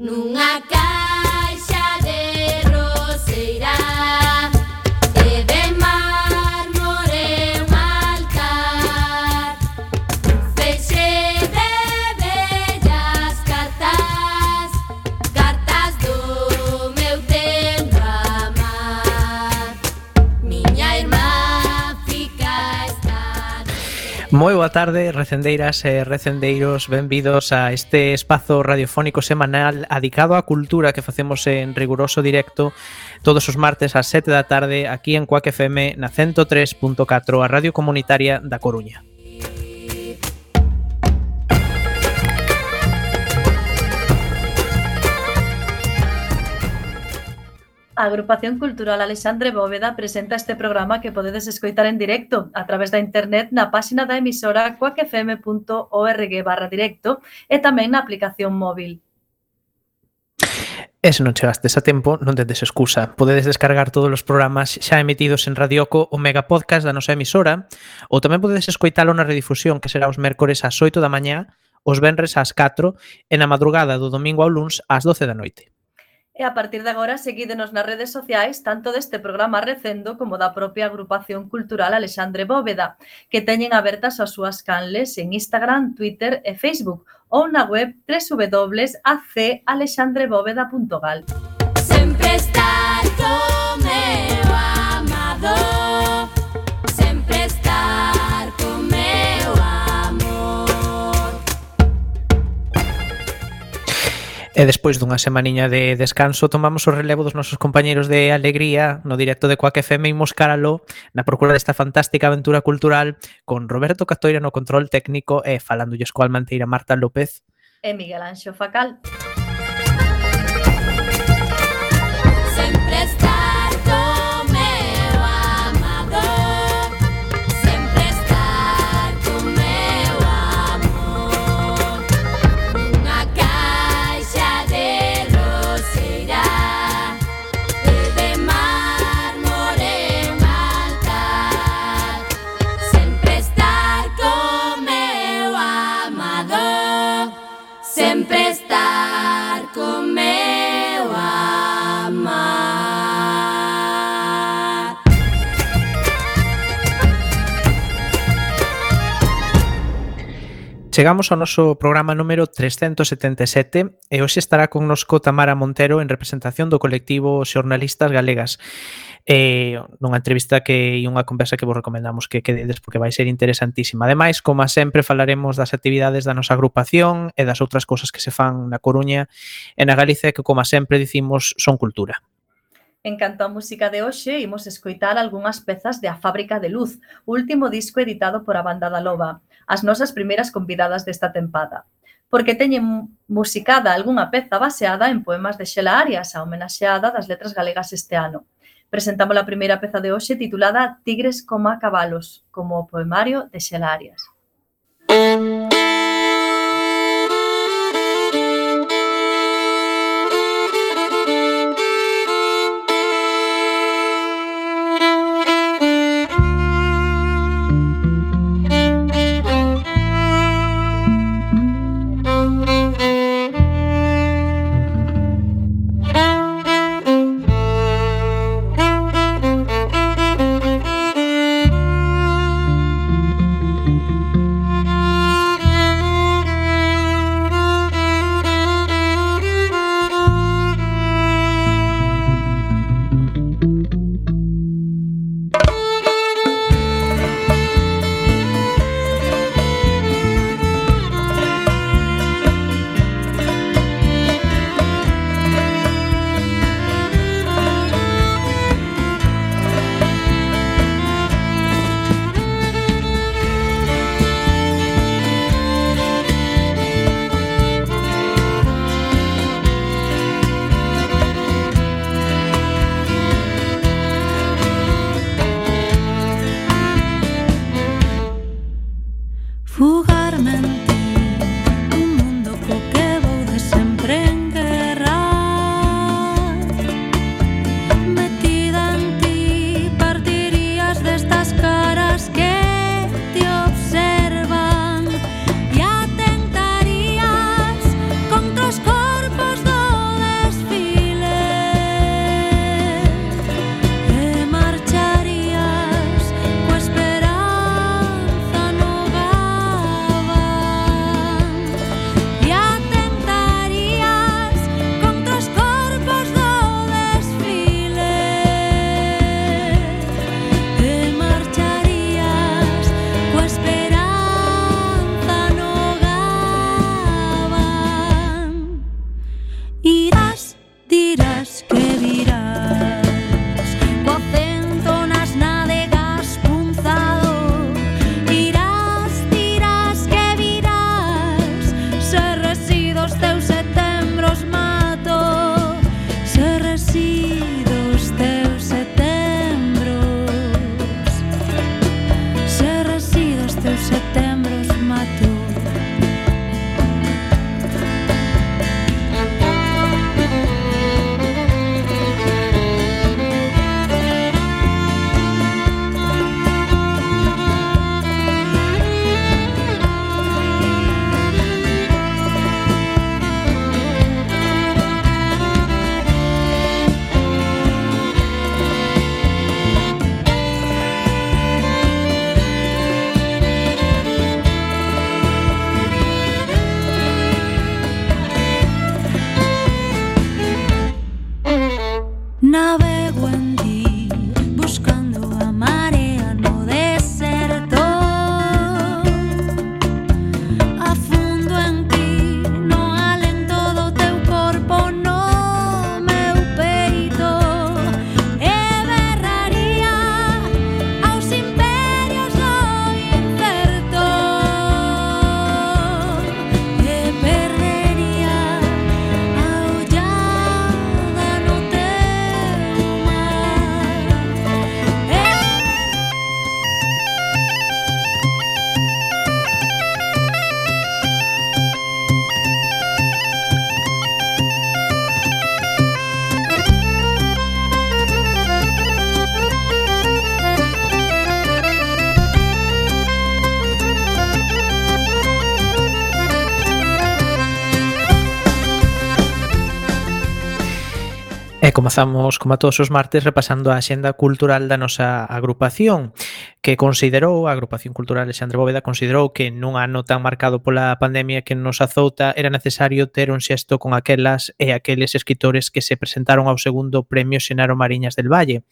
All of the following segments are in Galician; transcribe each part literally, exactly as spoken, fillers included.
Nunha caixa de roseira e de mármore un altar, feixe de bellas cartas, cartas do meu tempo amar. Miña irmá fica esta. Moi boa tarde, recendeiras e recendeiros, benvidos a este espazo radiofónico semanal adicado á cultura que facemos en riguroso directo todos os martes ás sete da tarde aquí en Cuac F M na ciento tres punto catro, a radio comunitaria da Coruña. A Agrupación Cultural Alexandre Bóveda presenta este programa que podedes escoitar en directo a través da internet na páxina da emisora cuac f m punto org barra directo e tamén na aplicación móvil. E se non chegastes a tempo, non tedes excusa. Podedes descargar todos os programas xa emitidos en Radioco o mega podcast da nosa emisora, ou tamén podedes escoitalo na redifusión, que será os mércores ás oito da mañá, os venres ás catro e na madrugada do domingo ao luns ás doce da noite. E a partir de agora seguídenos nas redes sociais tanto deste programa Recendo como da propia Agrupación Cultural Alexandre Bóveda, que teñen abertas as súas canles en Instagram, Twitter e Facebook ou na web doble u doble u doble u punto a c alexandre bóveda punto gal. Sempre estar con meu amado, sempre estar con meu amor. E despois dunha semaniña de descanso tomamos o relevo dos nosos compañeiros de Alegría no directo de Cuac F M e imos caralo na procura desta fantástica aventura cultural con Roberto Catoira no control técnico e falándolles coa almanteira Marta López E Miguel Anxo Facal. Sempre estar con meu amado, sempre estar con meu amor. Nunha caixa de roseira e de mármore un altar, sempre estar con meu amado, sempre estar con meu amar. Chegamos ao noso programa número trescentos setenta e sete e hoxe estará connosco Tamara Montero en representación do colectivo Xornalistas Galegas. Eh, nunha entrevista que e unha conversa que vos recomendamos que quededes porque vai ser interesantísima. Ademais, como sempre, falaremos das actividades da nosa agrupación e das outras cousas que se fan na Coruña e na Galicia que, como sempre, dicimos, son cultura. En canto á música de hoxe, imos escoitar algunhas pezas de A Fábrica de Luz, o último disco editado por a Banda da Loba, as nosas primeiras convidadas desta tempada, porque teñen musicada algunha peza baseada en poemas de Xela Arias, a homenaxeada das letras galegas este ano. Presentamos a primeira peza de hoxe titulada Tigres coma cabalos, como o poemario de Xela Arias. E comezamos, como a todos os martes, repasando a axenda cultural da nosa agrupación, que considerou, a Agrupación Cultural Alexandre Bóveda, considerou que nun ano tan marcado pola pandemia que nos azouta era necesario ter un xesto con aquelas e aqueles escritores que se presentaron ao segundo Premio Xenaro Mariñas del Valle.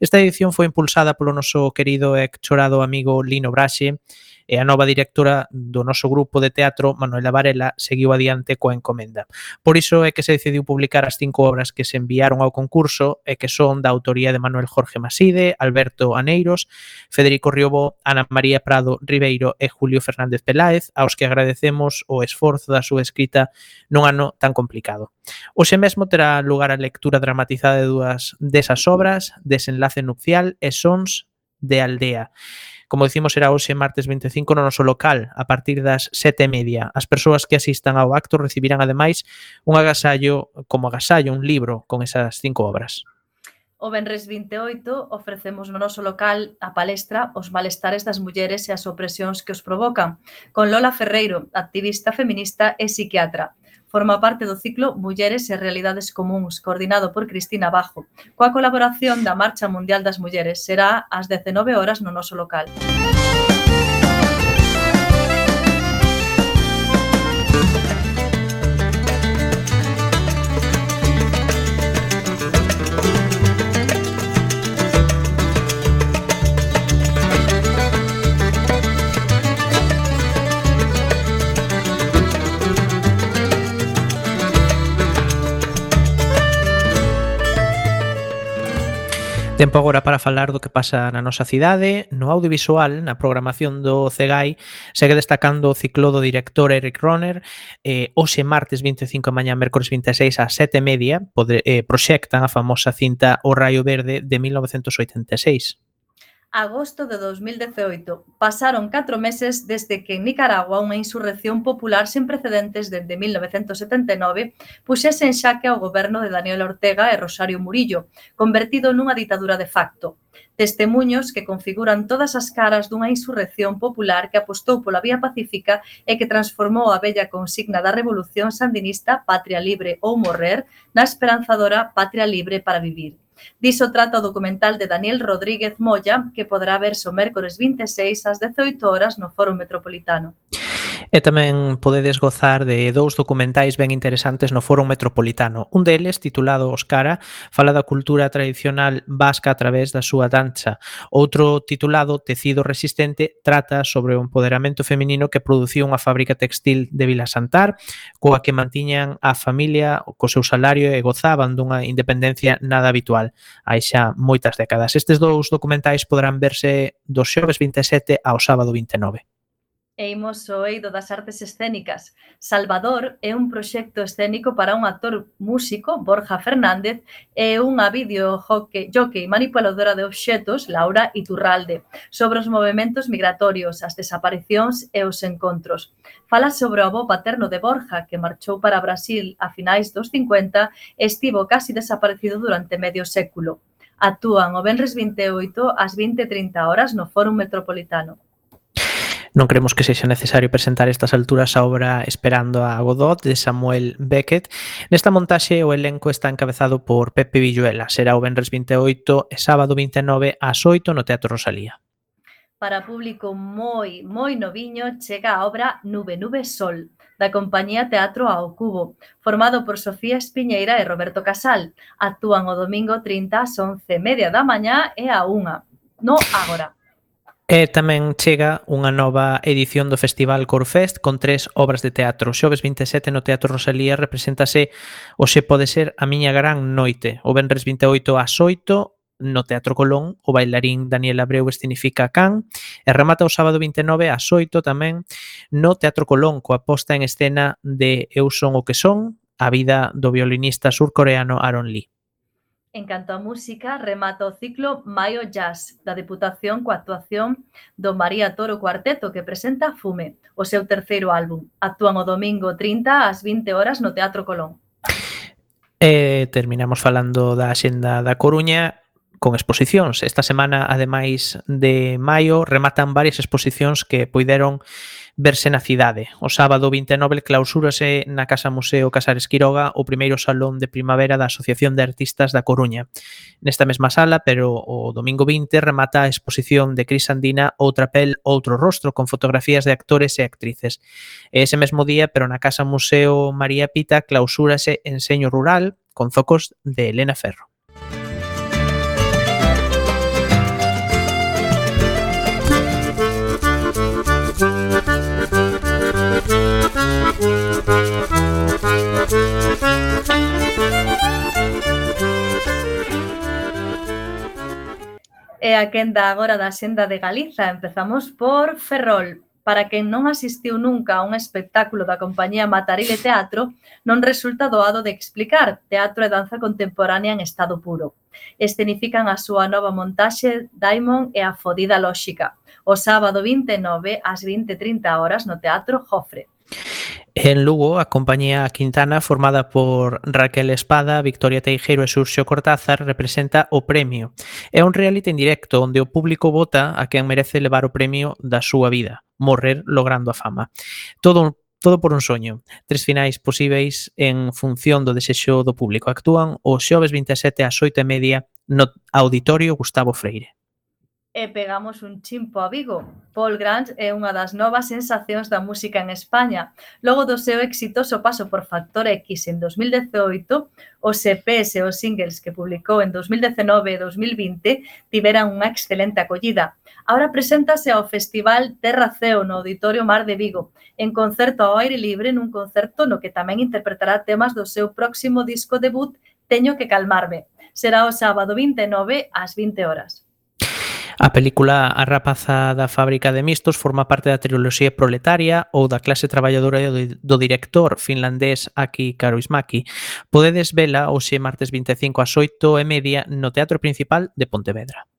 Esta edición foi impulsada polo noso querido e chorado amigo Lino Braxe, e a nova directora do noso grupo de teatro, Manuela Varela, seguiu adiante coa encomenda. Por iso é que se decidiu publicar as cinco obras que se enviaron ao concurso e que son da autoría de Manuel Jorge Maside, Alberto Aneiros, Federico Riobó, Ana María Prado Ribeiro e Julio Fernández Peláez, aos que agradecemos o esforzo da súa escrita nun ano tan complicado. Hoxe mesmo terá lugar a lectura dramatizada de dúas desas obras, Desenlace nupcial e Sons de aldea. Como dicimos, será hoxe martes vinte e cinco no noso local, a partir das sete e media. As persoas que asistan ao acto recibirán, ademais, un agasallo, como agasallo, un libro con esas cinco obras. O venres vinte e oito ofrecemos no noso local a palestra Os malestares das mulleres e as opresións que os provocan, con Lola Ferreiro, activista feminista e psiquiatra. Forma parte do ciclo Mulleres e Realidades Comúns, coordinado por Cristina Bajo, coa colaboración da Marcha Mundial das Mulleres. Será ás dezenove horas no noso local. Tempo agora para falar do que pasa na nosa cidade. No audiovisual, na programación do CEGAI, segue destacando o ciclo do director Eric Rohner. Eh, hoxe martes vinte e cinco, mañá mércores vinte e seis, ás sete e media, podre, eh, proxectan a famosa cinta O Raio Verde de mil novecentos oitenta e seis. Agosto de dos mil dezaoito. Pasaron catro meses desde que en Nicaragua unha insurrección popular sen precedentes dende mil novecentos setenta e nove puxese en xaque ao goberno de Daniel Ortega e Rosario Murillo, convertido nunha ditadura de facto. Testemuños que configuran todas as caras dunha insurrección popular que apostou pola vía pacífica e que transformou a bella consigna da revolución sandinista Patria libre ou morrer na esperanzadora Patria libre para vivir. Diso trata o documental de Daniel Rodríguez Moya, que poderá verse o mércores vinte e seis ás dezoito horas no Foro Metropolitano. E tamén podedes gozar de dous documentais ben interesantes no Foro Metropolitano. Un deles, titulado Oscara, fala da cultura tradicional vasca a través da súa danza. Outro, titulado Tecido resistente, trata sobre o empoderamento feminino que producía unha fábrica textil de Vilasantar, coa que mantiñan a familia co seu salario e gozaban dunha independencia nada habitual hai xa moitas décadas. Estes dous documentais poderán verse do xoves vinte e sete ao sábado vinte e nove. E imos ao eido das artes escénicas. Salvador é un proxecto escénico para un actor músico, Borja Fernández, e unha videojockey manipuladora de obxetos, Laura Iturralde, sobre os movementos migratorios, as desaparicións e os encontros. Fala sobre o avó paterno de Borja, que marchou para Brasil a finais dos cincuenta e estivo casi desaparecido durante medio século. Actúan o venres vinte e oito ás vinte e trinta horas no Fórum Metropolitano. Non creemos que sexa necesario presentar a estas alturas a obra Esperando a Godot de Samuel Beckett. Nesta montaxe o elenco está encabezado por Pepe Villuela. Será o venres vinte e oito e sábado vinte e nove ás oito no Teatro Rosalía. Para público moi, moi noviño, chega a obra Nube, Nube, Sol, da compañía Teatro ao Cubo, formado por Sofía Espiñeira e Roberto Casal. Actúan o domingo trinta ás once e media da mañá e a unha. No agora. E tamén chega unha nova edición do Festival Corfest con tres obras de teatro. Xoves vinte e sete no Teatro Rosalía represéntase o Se pode ser a miña gran noite. O venres vinte e oito ás oito no Teatro Colón, o bailarín Daniel Abreu escenifica Can, e remata o sábado vinte e nove ás oito tamén no Teatro Colón coa posta en escena de Eu son o que son, a vida do violinista surcoreano Aaron Lee. En canto a música, remata o ciclo Maio Jazz, da Deputación coa actuación do María Toro Cuarteto, que presenta Fume, o seu terceiro álbum. Actúan o domingo trinta ás vinte horas no Teatro Colón. E terminamos falando da axenda da Coruña. con exposicións. Esta semana, ademais de maio, rematan varias exposicións que poideron verse na cidade. O sábado vinte e nove clausúrase na Casa Museo Casares Quiroga o primeiro salón de primavera da Asociación de Artistas da Coruña. Nesta mesma sala, pero o domingo vinte, remata a exposición de Cris Andina Outra pel, outro rostro, con fotografías de actores e actrices. E ese mesmo día, pero na Casa Museo María Pita, clausúrase Enseño Rural, con zocos de Elena Ferro. E a quenda agora da Xenda de Galiza. Empezamos por Ferrol. Para quen non asistiu nunca a un espectáculo da compañía Matarile Teatro, non resulta doado de explicar. Teatro e danza contemporánea en estado puro. Escenifican a súa nova montaxe Daimon e a fodida lóxica. O sábado vinte e nove ás vinte e trinta horas no Teatro Jofre. En Lugo, a compañía Quintana, formada por Raquel Espada, Victoria Teijeiro e Xurxo Cortázar, representa o premio. É un reality en directo onde o público vota a quen merece levar o premio da súa vida, morrer logrando a fama. Todo todo por un soño. Tres finais posíveis en función do desexo do público. Actúan o xoves vinte e sete ás oito e media no Auditorio Gustavo Freire. E pegamos un chimpo a Vigo. Paul Grange é unha das novas sensacións da música en España. Logo do seu exitoso paso por Factor X en dos mil dezaoito, os E Pes e os singles que publicou en dos mil dezenove e dos mil vinte tiveran unha excelente acollida. Ahora preséntase ao Festival Terra Ceo no Auditorio Mar de Vigo, en concerto ao aire libre nun concerto no que tamén interpretará temas do seu próximo disco debut Teño que calmarme. Será o sábado vinte e nove ás vinte horas. A película A rapaza da fábrica de mistos forma parte da triloxía Proletaria ou da clase traballadora do director finlandés Aki Kaurismäki. Podedes vela hoxe martes vinte e cinco ás oito e media no Teatro Principal de Pontevedra.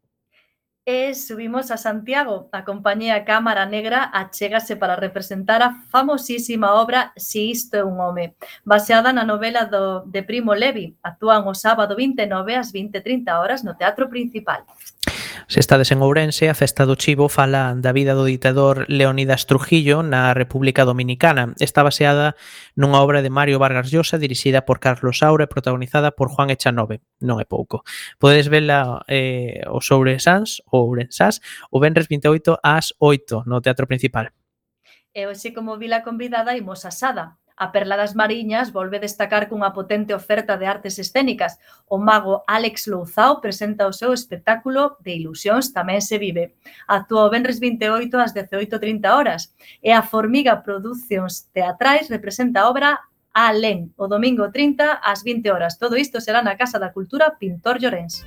E subimos a Santiago. A compañía Cámara Negra achégase para representar a famosísima obra Si isto é un home, baseada na novela do, de Primo Levi. Actúan o sábado vinte e nove ás vinte e trinta horas no Teatro Principal. Se estades en Ourense, a Festa do Chivo fala da vida do ditador Leonidas Trujillo na República Dominicana. Está baseada nunha obra de Mario Vargas Llosa dirixida por Carlos Saura e protagonizada por Juan Echanove. Non é pouco. Podedes vela eh, os Ourensans, ou Ourensás, o venres vinte e oito ás oito no Teatro Principal. E hoxe, como vila convidada, imos a Sada. A Perla das Mariñas volve destacar cunha potente oferta de artes escénicas. O mago Álex Louzao presenta o seu espectáculo de Ilusións tamén se vive. Actúa o venres vinte e oito ás dezaoito e trinta horas. E a Formiga Producións Teatrais representa a obra Alén, o domingo trinta ás vinte horas. Todo isto será na Casa da Cultura Pintor Llorens.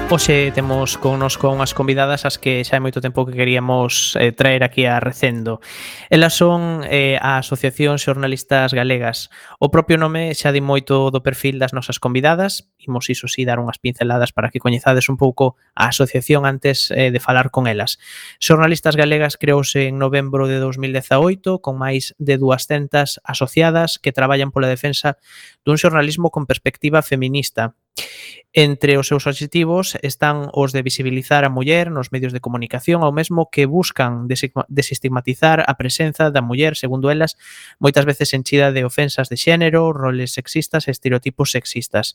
Hoxe temos connosco unhas convidadas as que xa hai moito tempo que queríamos eh, traer aquí a Recendo. Elas son eh, a Asociación Xornalistas Galegas. O propio nome xa di moito do perfil das nosas convidadas. Imos iso si dar unhas pinceladas para que coñezades un pouco a asociación antes eh, de falar con elas. Xornalistas Galegas creouse en novembro de dos mil dezaoito con máis de duascentas asociadas que traballan pola defensa dun xornalismo con perspectiva feminista. Entre os seus obxectivos están os de visibilizar a muller nos medios de comunicación, ao mesmo que buscan desestigmatizar a presenza da muller, segundo elas, moitas veces enchida de ofensas de xénero, roles sexistas e estereotipos sexistas.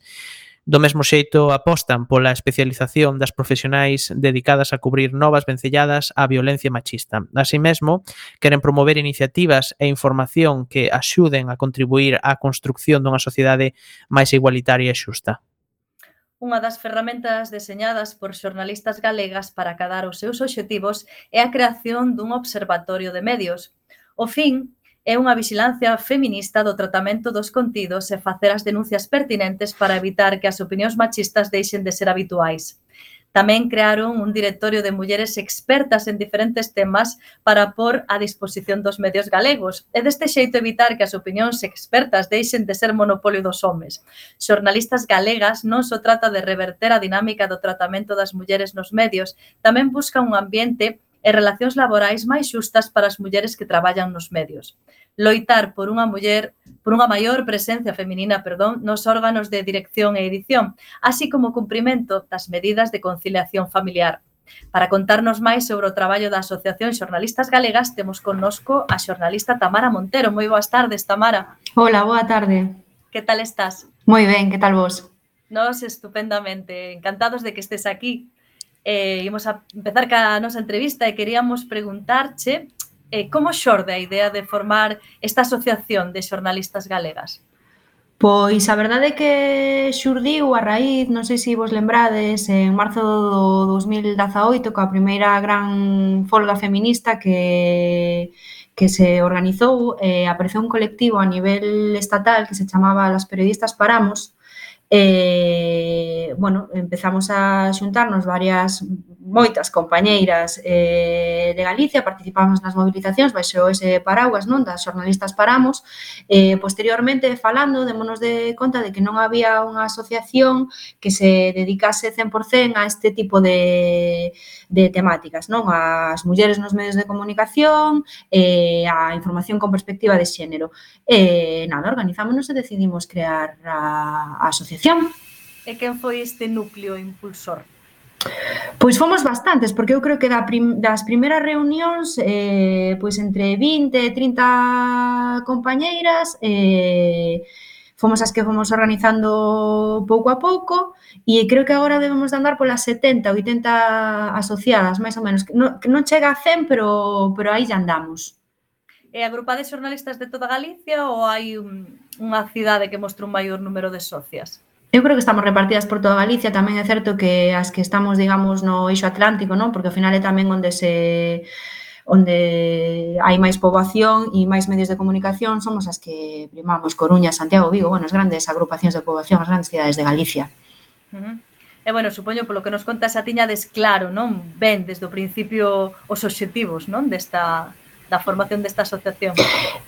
Do mesmo xeito apostan pola especialización das profesionais dedicadas a cubrir novas vencelladas á violencia machista. Así mesmo, queren promover iniciativas e información que axuden a contribuir á construcción dunha sociedade máis igualitaria e xusta. Unha das ferramentas deseñadas por xornalistas galegas para acadar os seus obxectivos é a creación dun observatorio de medios. O fin é unha vixilancia feminista do tratamento dos contidos e facer as denuncias pertinentes para evitar que as opinións machistas deixen de ser habituais. Tamén crearon un directorio de mulleres expertas en diferentes temas para pôr a disposición dos medios galegos e deste xeito evitar que as opinións expertas deixen de ser monopolio dos homes. Xornalistas galegas non só trata de reverter a dinámica do tratamento das mulleres nos medios, tamén busca un ambiente e relacións laborais máis xustas para as mulleres que traballan nos medios. Loitar por unha muller, por unha maior presencia feminina, perdón, nos órganos de dirección e edición, así como o cumprimento das medidas de conciliación familiar. Para contarnos máis sobre o traballo da Asociación Xornalistas Galegas, temos connosco a xornalista Tamara Montero. Moi boas tardes, Tamara. Hola, boa tarde. Que tal estás? Moi ben, que tal vos? Nos estupendamente, encantados de que estés aquí. Eh, imos a empezar ca nosa entrevista e queríamos preguntarche eh, como xorde a idea de formar esta asociación de xornalistas galegas? Pois a verdade é que xurdiu a raíz, non sei se vos lembrades, en marzo do dos mil dezaoito, coa primeira gran folga feminista que que se organizou, eh, apareceu un colectivo a nivel estatal que se chamaba Las Periodistas Paramos. Eh, bueno, empezamos a xuntarnos varias, moitas compañeiras eh, de Galicia, participamos nas movilizacións baixo ese paraugas, non, das xornalistas Paramos. Eh, posteriormente, falando, démonos de conta de que non había unha asociación que se dedicase cen por cen a este tipo de, de temáticas, non, as mulleres nos medios de comunicación, eh, a información con perspectiva de xénero. E, nada, organizámonos e decidimos crear a, a asociación. E quen foi este núcleo impulsor? Pois fomos bastantes, porque eu creo que da prim, das primeiras reunións, eh, pois entre vinte e trinta compañeiras, eh, fomos as que fomos organizando pouco a pouco, e creo que agora debemos de andar polas setenta, oitenta asociadas, máis ou menos. Non, que non chega a cen, pero, pero aí ya andamos. E agrupades xornalistas de toda Galicia ou hai un, unha cidade que mostra un maior número de socias? Eu creo que estamos repartidas por toda Galicia, tamén é certo que as que estamos, digamos, no eixo atlántico, non? Porque ao final é tamén onde se onde hai máis poboación e máis medios de comunicación, somos as que primamos Coruña, Santiago, Vigo, bueno, as grandes agrupacións de poboación, as grandes cidades de Galicia. Uh-huh. E, bueno, supoño, polo que nos contas, a tiñades claro, non? Ben, desde o principio, os obxectivos, non? Desta... da formación desta asociación.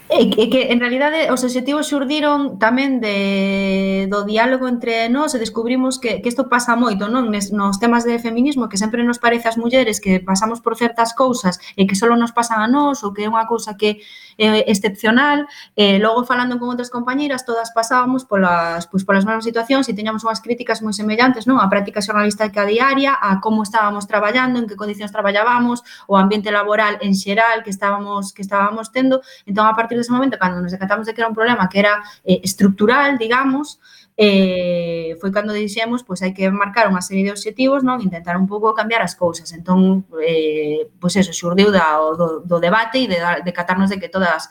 E que, que en realidade os obxectivos xurdiron tamén de, do diálogo entre nós e descubrimos que, que isto pasa moito, non? Nes, nos temas de feminismo, que sempre nos parece ás mulleres que pasamos por certas cousas e que só nos pasan a nós ou que é unha cousa que é excepcional, e logo falando con outras compañeiras todas pasábamos polas, pois, polas mesmas situacións e teñamos unhas críticas moi semellantes, non? A práctica xornalística diaria, a como estábamos traballando, en que condicións traballábamos, o ambiente laboral en xeral que estábamos que estábamos tendo. Entón, a partir dese momento, cando nos decatamos de que era un problema que era eh, estructural, digamos, eh, foi cando dixemos, pois hai que marcar unha serie de obxectivos, non, intentar un pouco cambiar as cousas. Entón, eh, pois eso, xurdiu da, do, do debate e de, de catarnos de que todas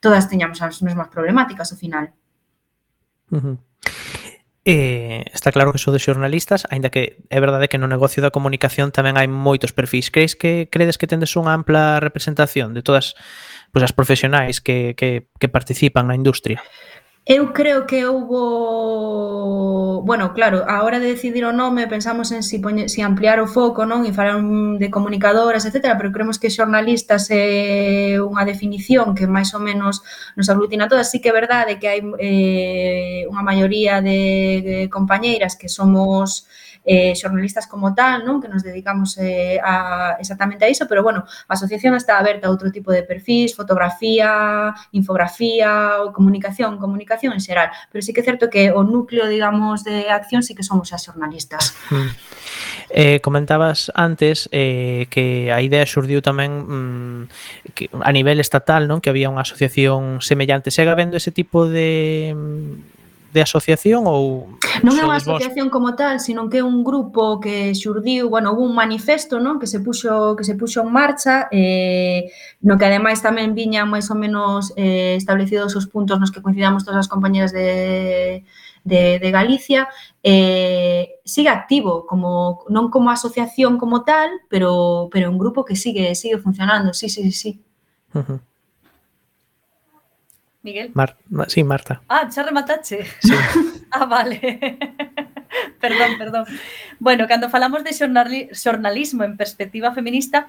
todas teñamos as mesmas problemáticas ao final. Uh-huh. Eh, está claro que sodes xornalistas, aínda que é verdade que no negocio da comunicación tamén hai moitos perfis. Crees que credes que tendes unha ampla representación de todas, pois, as profesionais que, que, que participan na industria? Eu creo que houbo, bueno, claro, a hora de decidir o nome pensamos en si, poñe, si ampliar o foco, non, e falar de comunicadoras, etcétera, pero creemos que xornalistas é unha definición que máis ou menos nos aglutina todas. Sí que é verdade que hai eh, unha maioría de, de compañeiras que somos eh, xornalistas como tal, non, que nos dedicamos eh, a, exactamente a iso, pero bueno, a asociación está aberta a outro tipo de perfis, fotografía, infografía, comunicación, comunicación en xeral, pero sí que é certo que o núcleo, digamos, de acción sí que somos as xornalistas. Mm. Eh, comentabas antes eh, que a idea xurdiu tamén mm, que a nivel estatal, non, que había unha asociación semellante. Segue habendo ese tipo de de asociación ou non é unha asociación como tal, sino que é un grupo que xurdiu, bueno, hubo un manifesto, non, que se puxo que se puxo en marcha, eh, no que ademais tamén viñan máis ou menos eh, establecidos os puntos nos que coincidamos todas as compañeras de de, de Galicia, eh, sigue activo, como non como asociación como tal, pero pero un grupo que sigue sigue funcionando, sí, sí, sí. Uh-huh. Miguel? Mar Ma- sí, Marta. Ah, xa rematache. Sí. Ah, vale. Perdón, perdón. Bueno, cando falamos de xornali- xornalismo en perspectiva feminista,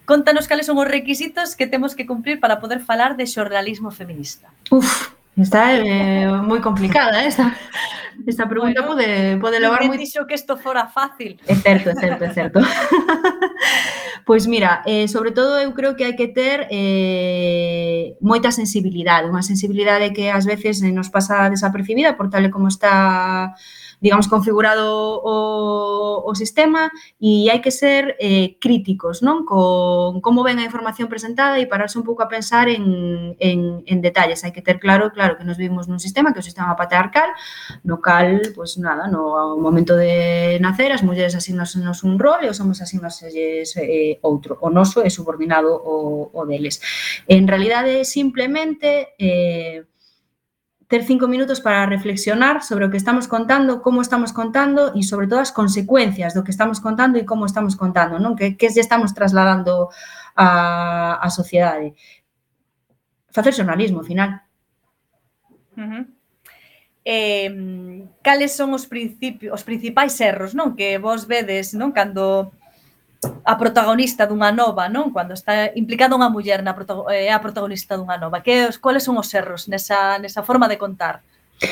contanos cales son os requisitos que temos que cumplir para poder falar de xornalismo feminista. Uf, está eh, moi complicada, eh, esta, esta pregunta Bueno, pode, pode levar Ninguén moi... dixo que isto fora fácil. É certo, é certo, é certo. Pois mira, eh, sobre todo eu creo que hai que ter eh, moita sensibilidade, unha sensibilidade que ás veces eh, nos pasa desapercibida por tal e como está, digamos, configurado o, o sistema, e hai que ser eh, críticos, non? Con como ven a información presentada e pararse un pouco a pensar en, en, en detalles. Hai que ter claro, claro, que nos vivimos nun sistema que é o sistema patriarcal, no cal, pois nada, no momento de nacer as mulleres asignasenos un rol e os homens asignaselles eh, outro. O noso é subordinado o, o deles. En realidade, simplemente eh, ter cinco minutos para reflexionar sobre o que estamos contando, como estamos contando e, sobre todo, as consecuencias do que estamos contando e como estamos contando, non? Que, que lle estamos trasladando a, a sociedade. Facer xornalismo, ao final. Uh -huh. Eh, cales son os principios, os principais erros, non? Que vos vedes, non? Cando a protagonista dunha nova, non? Cando está implicada unha muller na protago- é a protagonista dunha nova. Que os cuáles son os erros nesa nesa forma de contar?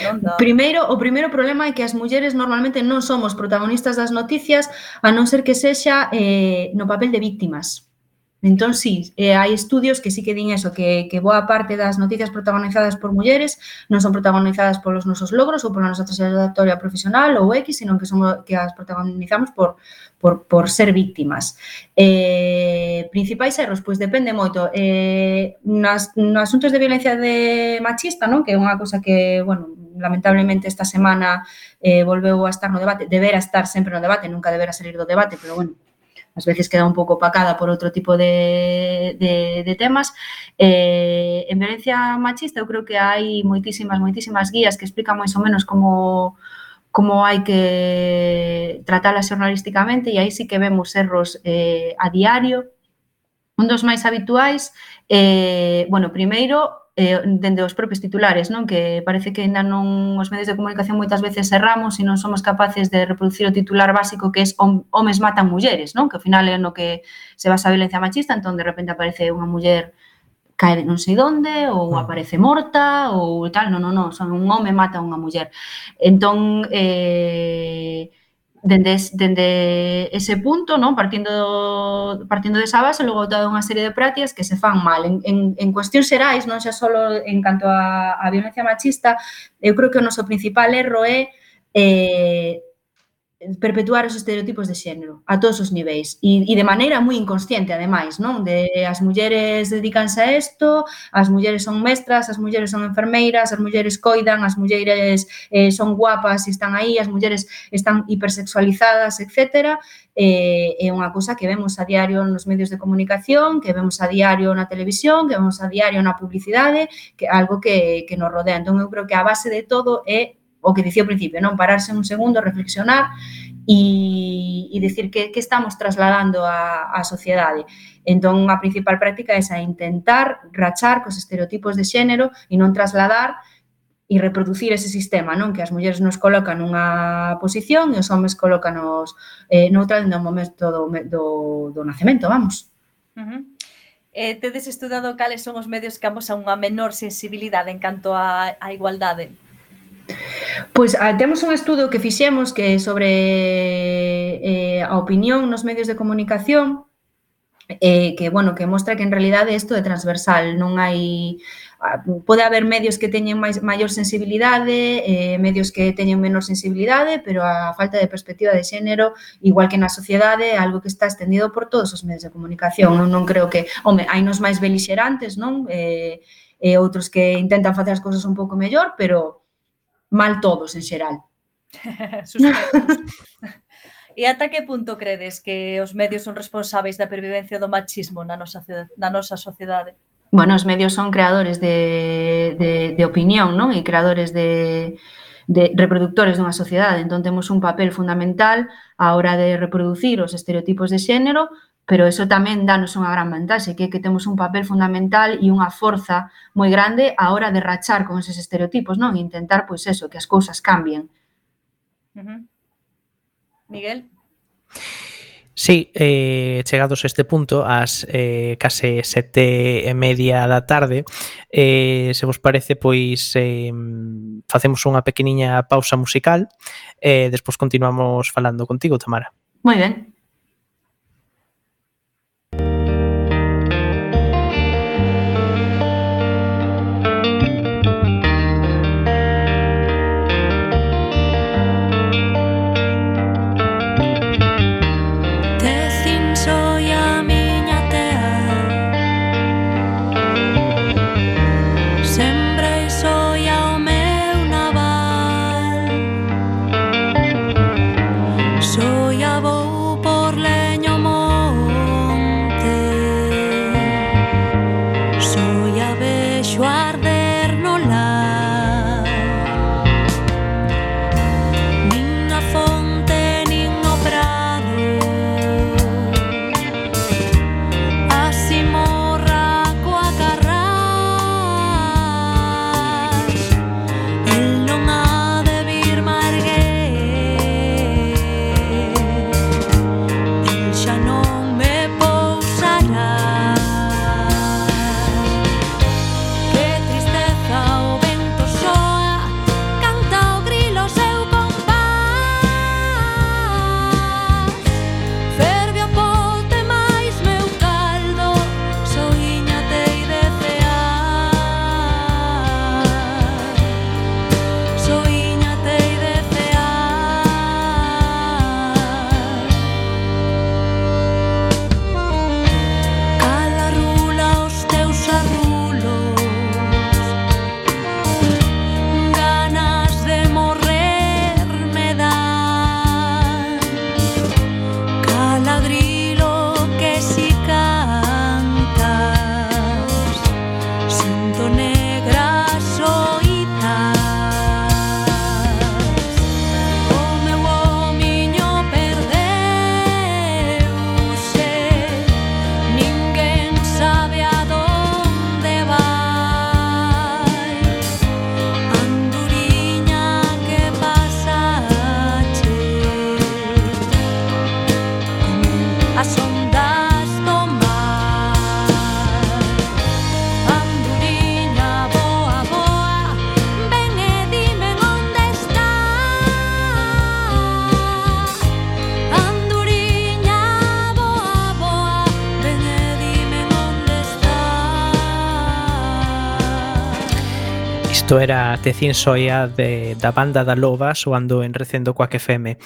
Non? Da... Primeiro, o primeiro problema é que as mulleres normalmente non somos protagonistas das noticias, a non ser que sexa eh, no papel de víctimas. Entón, sí, eh, hai estudios que sí que din eso, que, que boa parte das noticias protagonizadas por mulleres non son protagonizadas polos nosos logros ou pola nosa trayectoria profesional ou X, sino que somos que as protagonizamos por, por, por ser víctimas. Eh, principais erros, pois depende moito. Eh, nas, nos asuntos de violencia de machista, non? Que é unha cosa que, bueno, lamentablemente esta semana eh, volveu a estar no debate, debera estar sempre no debate, nunca debera salir do debate, pero bueno, ás veces queda un pouco opacada por outro tipo de, de, de temas. Eh, en violencia machista eu creo que hai moitísimas, moitísimas guías que explican máis ou menos como, como hai que tratala xornalísticamente, e aí sí que vemos erros eh, a diario. Un dos máis habituais, eh, bueno, primeiro, eh, dende os propios titulares, non? Que parece que ainda non os medios de comunicación moitas veces erramos e non somos capaces de reproducir o titular básico que é homes matan mulleres, non? Que ao final é no que se basa a violencia machista, entón de repente aparece unha muller cae non sei onde, ou aparece morta, ou tal, non, non, non, son un home mata unha muller. Entón, eh, dende, dende ese punto, non? Partindo, partindo desa base, logo toda unha serie de prácticas que se fan mal. En, en, en cuestións xerais, non xa só en canto a, a violencia machista, eu creo que o noso principal erro é eh, perpetuar os estereotipos de xénero a todos os niveis e, e de maneira moi inconsciente, ademais, non? De as mulleres dedícanse a isto, as mulleres son mestras, as mulleres son enfermeiras, as mulleres coidan, as mulleres eh, son guapas e están aí, as mulleres están hipersexualizadas, etcétera. Eh, é unha cousa que vemos a diario nos medios de comunicación, que vemos a diario na televisión, que vemos a diario na publicidade, que é algo que, que nos rodea. Entón, eu creo que a base de todo é o que dicía ao principio, non? Pararse un segundo, reflexionar e, e decir que, que estamos trasladando á, á sociedade. Entón, a principal práctica é esa, intentar rachar cos estereotipos de xénero e non trasladar e reproducir ese sistema, non? Que as mulleres nos colocan nunha posición e os homes colócanos eh, noutra no momento do, do, do nacemento, vamos. Uh -huh. Eh, tedes estudado cales son os medios que amosan unha menor sensibilidade en canto á, á igualdade? Pois temos un estudo que fixemos que é sobre eh, a opinión nos medios de comunicación, eh, que, bueno, que mostra que en realidade isto é transversal, non hai... Pode haber medios que teñen máis, maior sensibilidade, eh, medios que teñen menor sensibilidade, pero a falta de perspectiva de xénero, igual que na sociedade, é algo que está extendido por todos os medios de comunicación. Non, non creo que... Home, hai nos máis belixerantes, non? Eh, e outros que intentan facer as cousas un pouco mellor, pero mal todos, en xeral. E ata que punto credes que os medios son responsáveis da pervivencia do machismo na nosa, na nosa sociedade? Bueno, os medios son creadores de, de, de opinión, non? E creadores de, de reproductores dunha sociedade. Entón, temos un papel fundamental á hora de reproducir os estereotipos de xénero, pero eso tamén danos unha gran vantaxe, que é que temos un papel fundamental e unha forza moi grande á hora de rachar con eses estereotipos, non? E intentar, pois eso, que as cousas cambien. Ujú. Miguel? Sí, eh, chegados a este punto, ás eh, case sete e media da tarde, eh, se vos parece, pois eh, facemos unha pequeniña pausa musical e eh, despois continuamos falando contigo, Tamara. Moi ben. Tecín soy a miña tea, sembrei soy ao meu naval, soy a vou por leño monte, soy a vexo arder no lar, nin a fonte nin o prado, así morra coa carrás, el non ha de vir marguer, el xa non me pousará. Que tristeza o vento soa, canta o grilo seu compás, ferve a pote máis meu caldo, soiña tei de cear, soiña tei de cear. Cala rula os teus arrulos, ganas de morrer me dan, cala grilo que si cantas, sinto negras oitas, o meu homiño perdeuse, ninguén sabe a donde vai, anduriña que pasache, as ondas do mar, anduriña boa, boa, ven e dime onde está, anduriña boa, boa, ven e dime onde está. Isto era Tecín Soia de, da banda da Loba soando en Recendo Coac F M.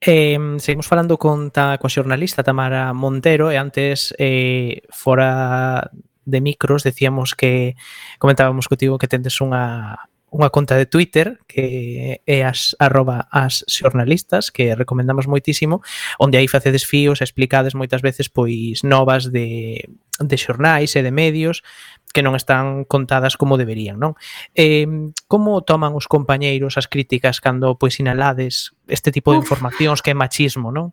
Eh, seguimos falando con ta, coa xornalista Tamara Montero e antes eh, fora de micros decíamos que comentábamos contigo que tendes unha unha conta de Twitter que é as arroba as xornalistas, que recomendamos moitísimo, onde aí facedes fíos e explicades moitas veces pois novas de, de xornais e de medios que non están contadas como deberían, non? Eh, como toman os compañeiros as críticas cando pois sinalades este tipo de Uf. informacións que é machismo, non?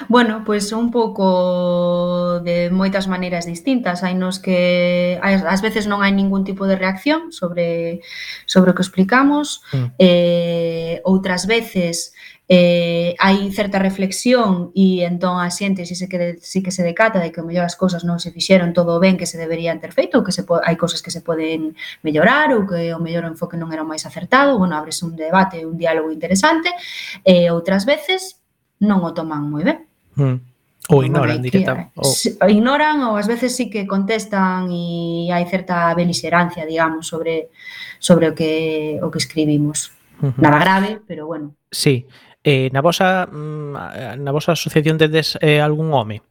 Bueno, pois un pouco de moitas maneiras distintas. Hai nos que ás, ás veces non hai ningún tipo de reacción sobre sobre o que explicamos, Mm. eh, outras veces eh, hai certa reflexión e entón a xente si, se que, si que se decata de que o mellor as cousas non se fixeron todo ben que se deberían ter feito, ou que se po, hai cousas que se poden mellorar ou que o mellor enfoque non era o máis acertado. Bueno, ábrese un debate, un diálogo interesante, e outras veces non o toman moi ben. Mm. Ou ignoran Bueno, hai que- directamente. Ou... si- ignoran ou ás veces sí que contestan e hai certa beliserancia, digamos, sobre sobre o que o que escribimos. Ujú. Nada grave, pero bueno. Sí. Eh, na vosa mm, na vosa asociación tedes eh, algún home?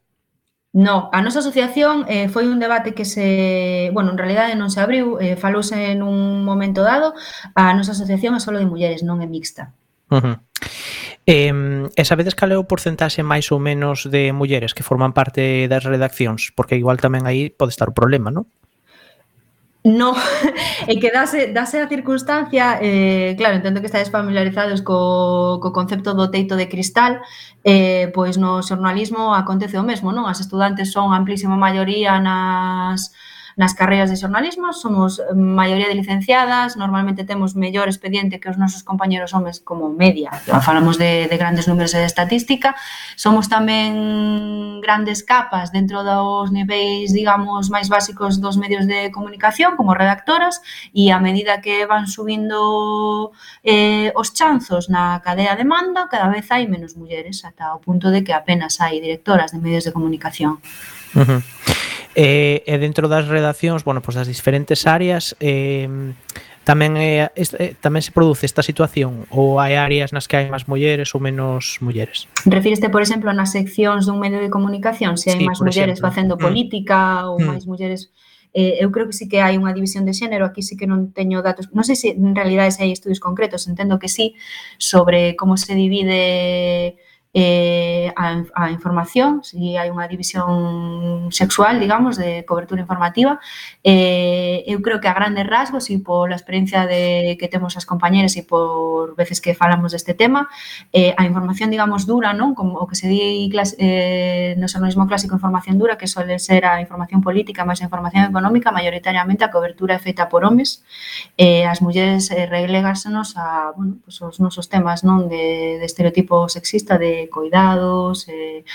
No, a nosa asociación eh, foi un debate que se, bueno, en realidade non se abriu, eh, falouse en un momento dado. A nosa asociación é solo de mulleres, non é mixta. Uh-huh. Eh, e sabedes cal é o porcentaxe máis ou menos de mulleres que forman parte das redaccións? Porque igual tamén aí pode estar o problema, non? No, é que dase, dase a circunstancia, eh, claro, entendo que estáis familiarizados co, co concepto do teito de cristal, eh, pois no xornalismo acontece o mesmo, non? As estudantes son a amplísima maioría nas, nas carreiras de xornalismo, somos maioría de licenciadas, normalmente temos mellor expediente que os nosos compañeros homes como media, falamos de, de grandes números de estatística, somos tamén grandes capas dentro dos niveis, digamos, máis básicos dos medios de comunicación, como redactoras, e a medida que van subindo eh, os chanzos na cadea de mando, cada vez hai menos mulleres, ata o punto de que apenas hai directoras de medios de comunicación. Uh-huh. E, e dentro das redaccións, bueno, pois das diferentes áreas, eh, tamén é, este, tamén se produce esta situación ou hai áreas nas que hai máis mulleres ou menos mulleres? Refíreste, por exemplo, nas seccións dun medio de comunicación, se hai Sí, máis por mulleres exemplo. facendo Mm. política ou Mm. máis mulleres... Eh, eu creo que sí que hai unha división de xénero, aquí sí que non teño datos, non sei se en realidade se hai estudios concretos, entendo que sí, sobre como se divide eh, a, a información, si hai unha división sexual, digamos, de cobertura informativa. Eh, eu creo que a grandes rasgos e pola experiencia de que temos as compañeras e por veces que falamos deste tema, eh, a información, digamos, dura, non? Como o que se di clase, eh, no xornalismo clásico información dura, que suele ser a información política máis a información económica, maioritariamente a cobertura é feita por homes, eh, as mulleres eh, relegásenos a, bueno, pues, os nosos temas, non? De, de estereotipo sexista, de coidados, eh,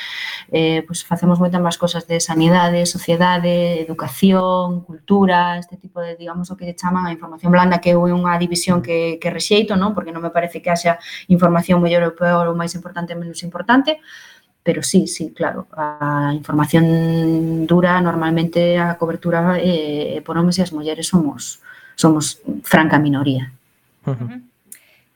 eh, pues facemos moitas máis cosas de sanidade, sociedade, educación, cultura, este tipo de, digamos, o que chaman a información blanda, que é unha división que, que rexeito, non? Porque non me parece que haxa información mellor ou peor ou máis importante ou menos importante, pero sí, sí, claro, a información dura normalmente a cobertura eh, por homes e as mulleres somos somos franca minoría. Uh-huh. Uh-huh.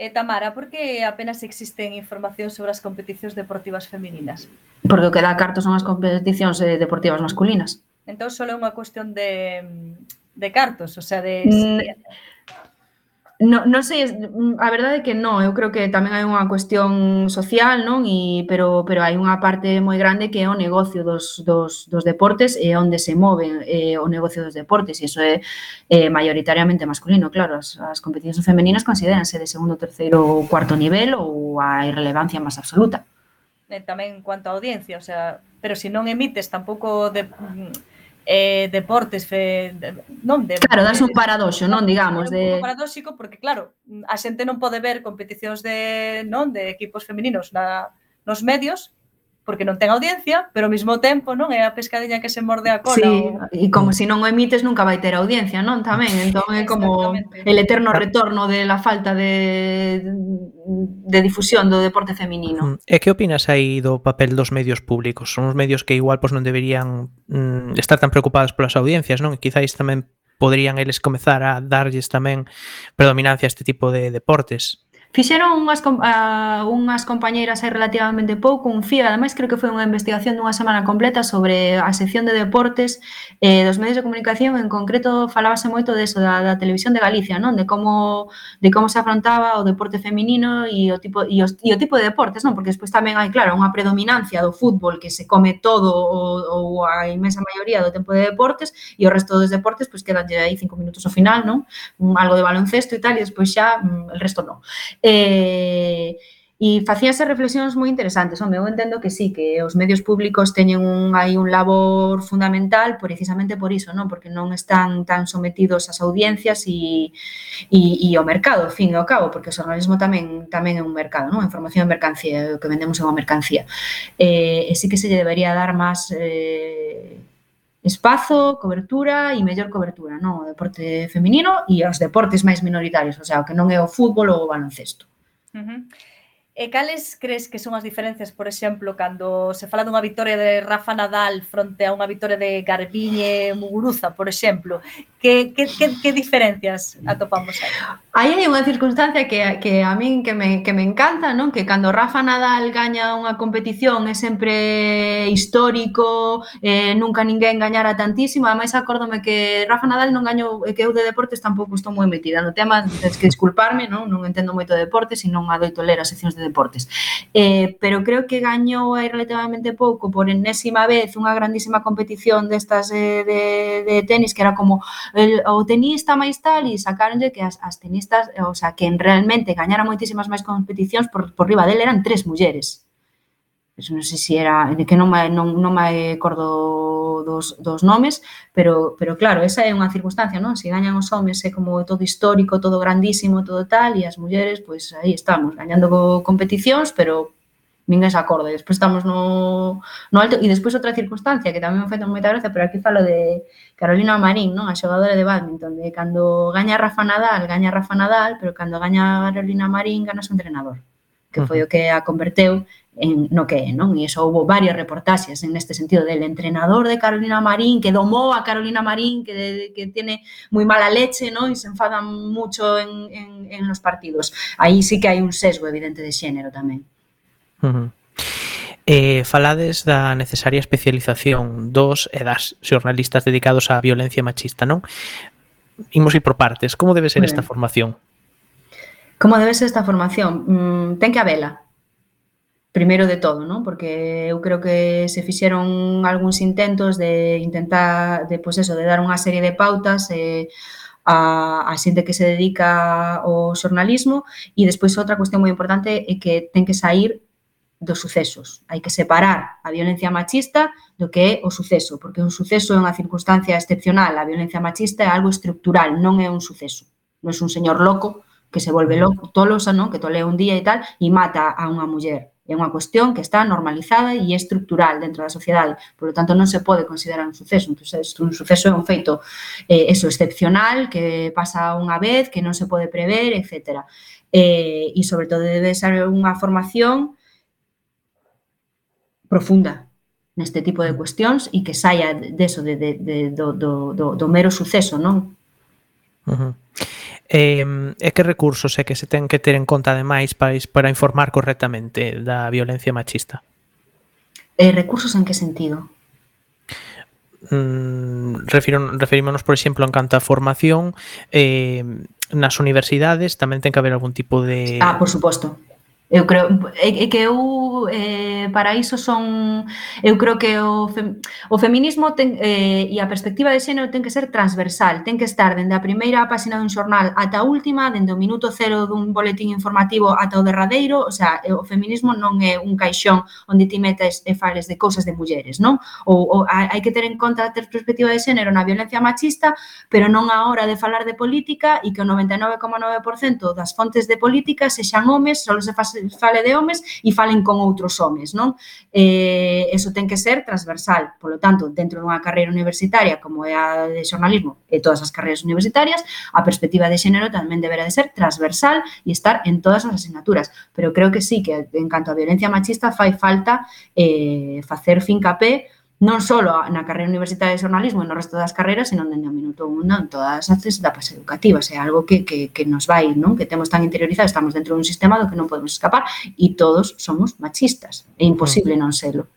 Eh, Tamara, por que apenas existen información sobre as competicións deportivas femininas? Porque o que dá cartos son as competicións eh, deportivas masculinas. Entón, só é unha cuestión de, de cartos, o sea, de... Mm, No, non sei, a verdade é que non, eu creo que tamén hai unha cuestión social, non? E, pero, pero hai unha parte moi grande que é o negocio dos, dos, dos deportes e onde se move eh, o negocio dos deportes, e iso é eh, maioritariamente masculino, claro, as, as competicións femeninas considéranse de segundo, terceiro ou cuarto nivel ou a irrelevancia máis absoluta. Eh, tamén en cuanto a audiencia, o sea, pero se non emites tampouco de... Eh, deportes fe, de, non de, claro, das un paradoxo, non, digamos, é un de pouco paradóxico porque claro, a xente non pode ver competicións de, non, de equipos femininos na, nos medios porque non ten audiencia, pero ao mesmo tempo, non, é a pescadiña que se morde a cola. Sí, o... e como se si non o emites nunca vai ter audiencia, non? Tamén, entón é como el eterno retorno de la falta de, de difusión do deporte feminino. E que opinas aí do papel dos medios públicos? Son os medios que igual pues, non deberían mm, estar tan preocupados polas audiencias, non? E quizáis tamén poderían eles comezar a darlles tamén predominancia a este tipo de deportes. Fixeron unhas, uh, unhas compañeiras hai relativamente pouco, un F I A, ademais creo que foi unha investigación dunha semana completa sobre a sección de deportes eh, dos medios de comunicación, en concreto falábase moito deso, da, da televisión de Galicia, non? De como de como se afrontaba o deporte feminino e o tipo e, os, e o tipo de deportes, non? Porque despois tamén hai, claro, unha predominancia do fútbol que se come todo ou, ou a inmensa maioría do tempo de deportes e o resto dos deportes, pois quedanlle aí cinco minutos ao final, non? Algo de baloncesto e tal, e despois xa el resto non. Eh, e facíanse reflexións moi interesantes. Home, eu entendo que sí, que os medios públicos teñen un, hai un labor fundamental precisamente por iso, non? Porque non están tan sometidos ás audiencias e, e, e ao mercado, ao fin e ao cabo, porque o xornalismo tamén tamén é un mercado, non? A información é mercancía, o que vendemos é unha mercancía. Eh, e sí que se lle debería dar máis eh, espazo, cobertura e mellor cobertura, non? O deporte feminino e os deportes máis minoritarios, o sea, o que non é o fútbol ou o baloncesto. Uh-huh. E cales crees que son as diferencias, por exemplo, cando se fala dunha vitoria de Rafa Nadal fronte a unha vitoria de Garbiñe Muguruza, por exemplo? Que, que, que, que diferencias atopamos aí? Aí hai unha circunstancia que, que a min que me, que me encanta, non? Que cando Rafa Nadal gaña unha competición é sempre histórico, eh, nunca ninguén gañara tantísimo. Ademais, acórdome que Rafa Nadal non gañou, que eu de deportes tampouco estou moi metida no tema, tens que disculparme, non? Non entendo moito de deportes e non adoito ler as seccións de deportes. Eh, pero creo que gañou aí relativamente pouco por enésima vez unha grandísima competición destas eh, de, de tenis que era como el, o tenista máis tal e sacaronlle que as, as tenistas, o sea, que realmente gañaran moitísimas máis competicións por, por riba dele eran tres mulleres. Eso non sei se era, que non me, non, non me acordo dos, dos nomes, pero, pero claro, esa é unha circunstancia, non? Se gañan os homes é como todo histórico, todo grandísimo, todo tal, e as mulleres, pois aí estamos, gañando competicións, pero ninguén se acorda. Despois estamos no, no alto, e despois outra circunstancia que tamén me fai moita gracia, pero aquí falo de Carolina Marín, non? A xogadora de bádminton, de cando gaña Rafa Nadal, gaña Rafa Nadal, pero cando gaña Carolina Marín, gana su entrenador, que foi o que a converteu en no que é, non? E iso houve varias reportaxes en este sentido del entrenador de Carolina Marín que domou a Carolina Marín que, que tiene moi mala leche, non? E se enfadan mucho en, en, en los partidos. Aí sí que hai un sesgo evidente de xénero tamén. Uh-huh. Eh, falades da necesaria especialización dos e das xornalistas dedicados á violencia machista, non? Imos ir por partes. Como debe ser esta formación? Como debe ser esta formación? Mm, ten que habela. Primeiro de todo, non? Porque eu creo que se fixeron algúns intentos de intentar, de, pois eso, de dar unha serie de pautas eh, a, a xente que se dedica ao xornalismo e despois outra cuestión moi importante é que ten que sair dos sucesos. Hai que separar a violencia machista do que é o suceso, porque un suceso é unha circunstancia excepcional, a violencia machista é algo estructural, non é un suceso. Non é un señor loco que se volve loco, tolosa, non? Que tolea un día e tal e mata a unha muller. É unha cuestión que está normalizada e estructural dentro da sociedade. Por lo tanto, non se pode considerar un suceso. Un suceso, un suceso é un feito eh, eso, excepcional, que pasa unha vez, que non se pode prever, etcétera. Eh, e, sobre todo, debe ser unha formación profunda neste tipo de cuestións e que saia deso, de, de, de, do, do, do, do mero suceso, non? Uh-huh. Eh, e que recursos é que se ten que ter en conta ademais para, para informar correctamente da violencia machista? Eh, recursos en que sentido? Mm, refiro, referímonos, por exemplo, en canto a formación eh, nas universidades tamén ten que haber algún tipo de... Ah, por suposto. Eu creo é que eu eh, para iso son eu creo que o, fem, o feminismo ten, eh, e a perspectiva de xénero ten que ser transversal, ten que estar dende a primeira páxina dun xornal ata a última, dende o minuto cero dun boletín informativo ata o derradeiro, o sea, o feminismo non é un caixón onde ti metes e fales de cousas de mulleres, non? Ou, ou hai que ter en conta a perspectiva de xénero na violencia machista, pero non a hora de falar de política e que o noventa e nove coma nove por cento das fontes de política sexan homes, só se fase fale de homes e falen con outros homes, non? Eh, eso ten que ser transversal, polo tanto, dentro dunha carreira universitaria como é a de xornalismo e todas as carreiras universitarias, a perspectiva de xénero tamén deberá de ser transversal e estar en todas as asignaturas, pero creo que sí, que en canto a violencia machista fai falta eh, facer fincapé non só na carreira universitaria de xornalismo e no resto das carreiras, senón dende o minuto un en todas as etapas educativas. É algo que, que, que nos vai, non? Que temos tan interiorizado, estamos dentro dun sistema do que non podemos escapar e todos somos machistas. É imposible non selo.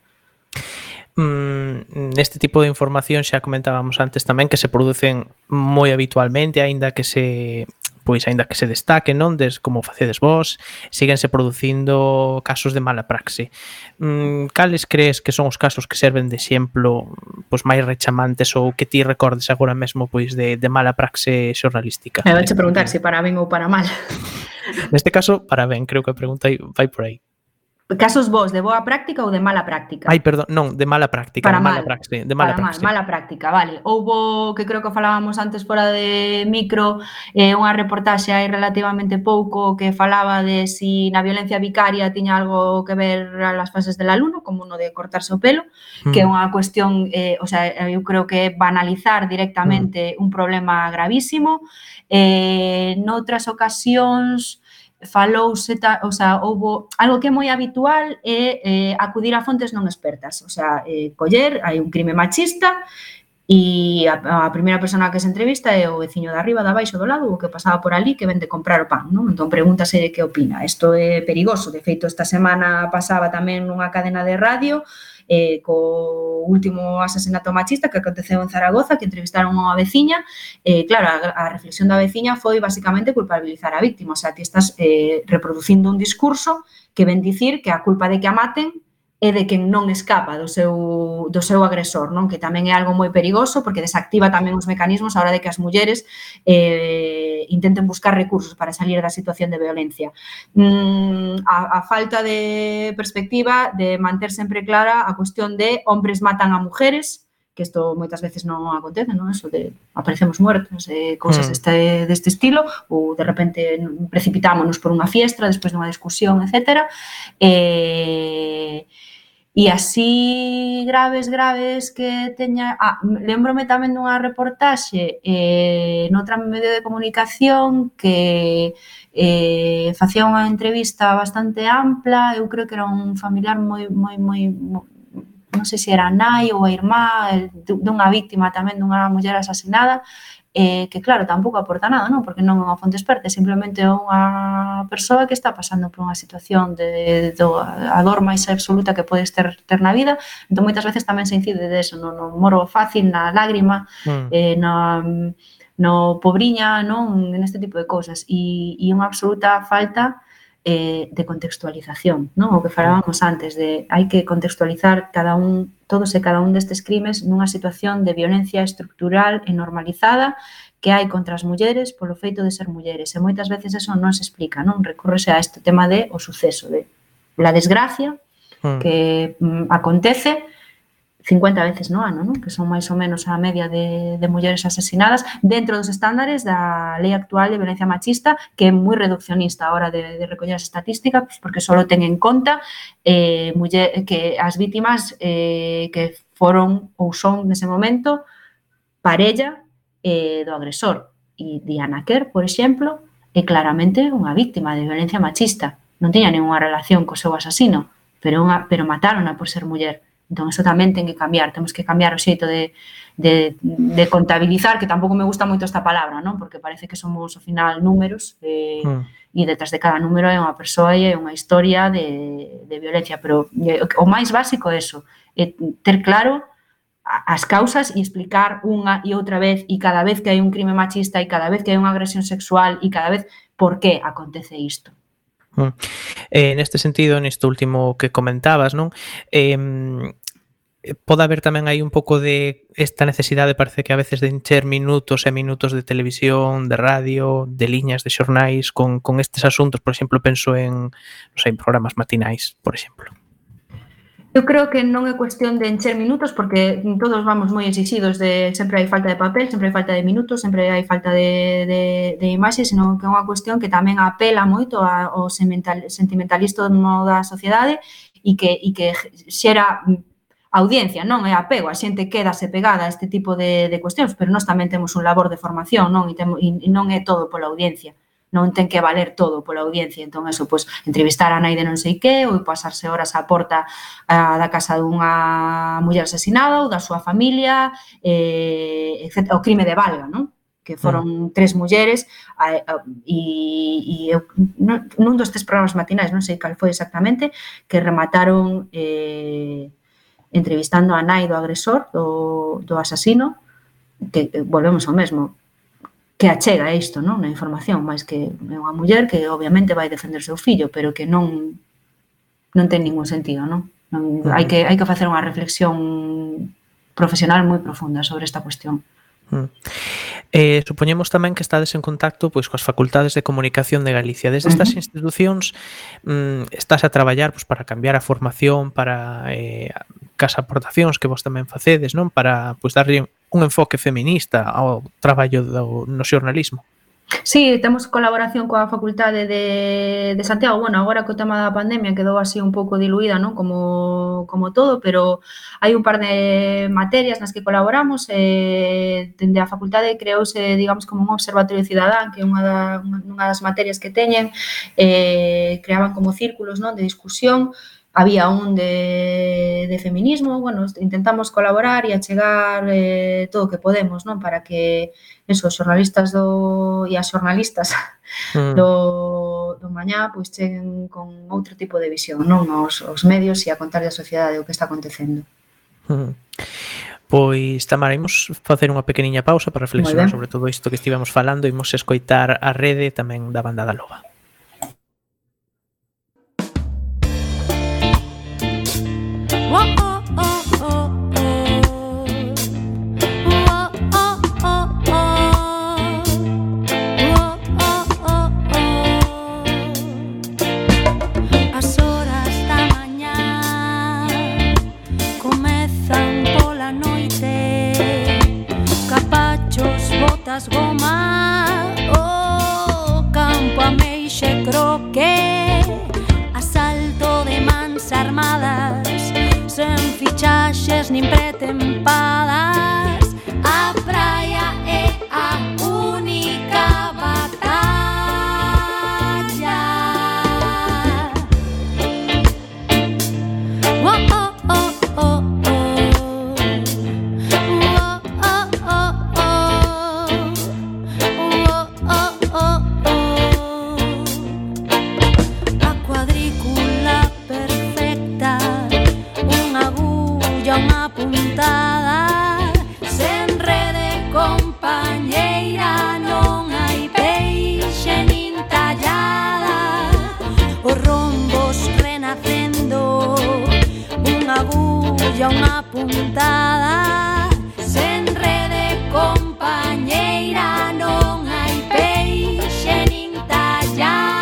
Mm, neste tipo de información xa comentábamos antes tamén que se producen moi habitualmente, aínda que se pois aínda que se destaque, non, des como facedes vós, síguense producindo casos de mala praxe. Mm, cales crees que son os casos que serven de exemplo pois máis rechamantes ou que ti recordes agora mesmo pois de, de mala praxe xornalística? Me vouche preguntar se para ben ou para mal. Neste caso, para ben, creo que a pregunta vai por aí. Casos vos de boa práctica ou de mala práctica? Ai, perdón, non, de mala práctica, para de mala mal. praxe, de mala para praxe. Mal, mala práctica, vale. Houbo, que creo que falábamos antes fora de micro, eh, unha reportaxe hai relativamente pouco que falaba de si na violencia vicaria tiña algo que ver as fases del alumno, como uno de cortarse o pelo, mm. que é unha cuestión, eh, o sea, eu creo que é banalizar directamente mm. un problema gravísimo. Eh, noutras ocasións falouse, o sea, houbo algo que é moi habitual é eh, acudir a fontes non expertas, o sea, eh, coller, hai un crime machista e a, a primeira persona que se entrevista é o veciño de arriba, de abaixo, do lado, o que pasaba por ali que vende comprar o pan, non? Entón pregúntase de que opina. Isto é perigoso, de feito esta semana pasaba tamén nunha cadena de radio eh, co último asesinato machista que aconteceu en Zaragoza, que entrevistaron a unha veciña, eh, claro, a, a reflexión da veciña foi basicamente culpabilizar a víctima, o sea, ti estás eh, reproducindo un discurso que ven dicir que a culpa de que a maten é de quen non escapa do seu, do seu agresor, non? Que tamén é algo moi perigoso porque desactiva tamén os mecanismos a hora de que as mulleres eh, intenten buscar recursos para salir da situación de violencia. Mm, a, a falta de perspectiva de manter sempre clara a cuestión de hombres matan a mujeres, que isto moitas veces non acontece, non? Eso de aparecemos muertos, eh, cousas Mm. deste, deste estilo, ou de repente precipitámonos por unha fiestra despois dunha discusión, etcétera. Eh, e así graves, graves que teña... Ah, lembrome tamén dunha reportaxe eh, noutra medio de comunicación que eh, facía unha entrevista bastante ampla, eu creo que era un familiar moi, moi, moi, moi non sei se era a nai ou a irmá dunha víctima tamén dunha muller asasinada, eh, que claro, tampouco aporta nada, non? Porque non é unha fonte experta, é simplemente unha persoa que está pasando por unha situación de, de a dor máis absoluta que podes ter, ter na vida, entón moitas veces tamén se incide de eso, no, no moro fácil, na lágrima, mm. eh, no, no pobriña, non? Neste tipo de cousas, e, e unha absoluta falta Eh, de contextualización, non? O que falábamos antes de hai que contextualizar cada un, todos e cada un destes crimes nunha situación de violencia estructural e normalizada que hai contra as mulleres polo feito de ser mulleres, e moitas veces eso non se explica, non? Recúrrese a este tema de o suceso, de la desgracia mm. que mm, acontece cincuenta veces no ano, non? Que son máis ou menos a media de, de mulleres asesinadas dentro dos estándares da lei actual de violencia machista, que é moi reduccionista a hora de, de recoller as estatísticas, porque só ten en conta eh, muller, que as vítimas eh, que foron ou son nese momento parella eh, do agresor. E Diana Kerr, por exemplo, é claramente unha víctima de violencia machista. Non tiña ninguna relación co seu asasino, pero, unha, pero matárona por ser muller. Entón, eso tamén ten que cambiar. Temos que cambiar o xeito de, de, de contabilizar, que tampouco me gusta moito esta palabra, non? Porque parece que somos, ao final, números eh, mm. e detrás de cada número é unha persoa e é unha historia de, de violencia. Pero o máis básico é eso, é ter claro as causas e explicar unha e outra vez e cada vez que hai un crime machista e cada vez que hai unha agresión sexual e cada vez por que acontece isto. Mm. Eh, neste sentido, neste último que comentabas, non? Eh, pode haber tamén aí un pouco de esta necesidade, parece que a veces de encher minutos e minutos de televisión, de radio, de liñas de xornais con, con estes asuntos. Por exemplo, penso en, non sei, en programas matinais, por exemplo. Eu creo que non é cuestión de encher minutos, porque todos vamos moi exixidos de sempre hai falta de papel, sempre hai falta de minutos, sempre hai falta de, de, de imaxes, senón que é unha cuestión que tamén apela moito ao sentimentalismo da sociedade e que, e que xera audiencia, non é apego, a xente quédase pegada a este tipo de, de cuestións, pero nós tamén temos un labor de formación, non? E, temo, e non é todo pola audiencia. Non ten que valer todo pola audiencia, entón eso, pois, entrevistar a nai de non sei que, ou pasarse horas á porta a, da casa dunha muller asesinada ou da súa familia, eh, etcétera, o crime de Valga, non? Que foron tres mulleres e, e nun dos tres programas matinais, non sei cal foi exactamente, que remataron eh, entrevistando a nai do agresor, do, do asasino, que volvemos ao mesmo, que achega isto, non? Na información, máis que é unha muller que obviamente vai defender o seu fillo, pero que non non ten ningún sentido, non? non uh-huh. hai, que, hai que facer unha reflexión profesional moi profunda sobre esta cuestión. Uh-huh. Eh, supoñemos tamén que estades en contacto pois coas facultades de comunicación de Galicia. Desde estas uh-huh. institucións mm, estás a traballar pois, para cambiar a formación, para eh, cas aportacións que vos tamén facedes, non? Para pois, darlle un enfoque feminista ao traballo do, no xornalismo. Sí, temos colaboración coa Facultade de, de Santiago. Bueno, agora co tema da pandemia quedou así un pouco diluída, non? Como, como todo, pero hai un par de materias nas que colaboramos. Eh, dende a Facultade creouse, digamos, como un observatorio cidadán, que é unha, da, unha das materias que teñen. Eh, creaban como círculos, non? De discusión había un de, de feminismo, bueno, intentamos colaborar e achegar eh, todo o que podemos, non? Para que eso, os xornalistas do, e as xornalistas Mm. do, do mañá pois cheguen con outro tipo de visión, non? Os, os medios e a contar da sociedade o que está acontecendo. Mm. Pois, Tamara, imos facer unha pequeniña pausa para reflexionar sobre todo isto que estivemos falando, imos escoitar a rede tamén da Banda da Loba. As horas da mañá comezan pola noite, capachos, botas, goma, o campo ameixe croque, asalto de mans armadas, sen fichaxes nin pretempadas, a praia é a única batalla. Oh, oh, oh, oh, oh. Oh, oh, oh, oh. Oh, oh, oh, oh. A cuadrícula perfecta, unha agulla, unha puntada, sen rede compañeira, non hai peixe nin tallada, os rombos renacendo, unha agulla, unha puntada, sen rede compañeira, non hai peixe nin tallada.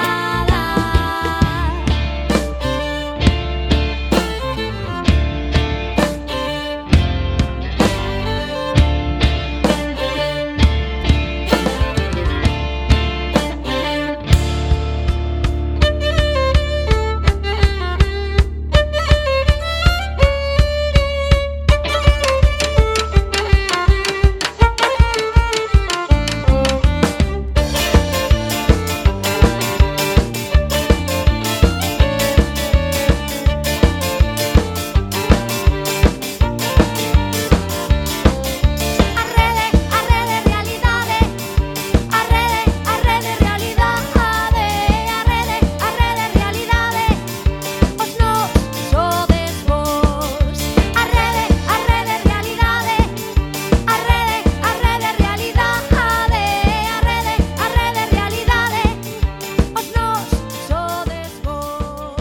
A rede, a rede realidade, a rede, a rede realidade, a rede, a rede realidade, os nós sodes vos. A rede, a rede realidade, a rede, a rede realidade, a rede, a rede realidade, os nós sodes vos.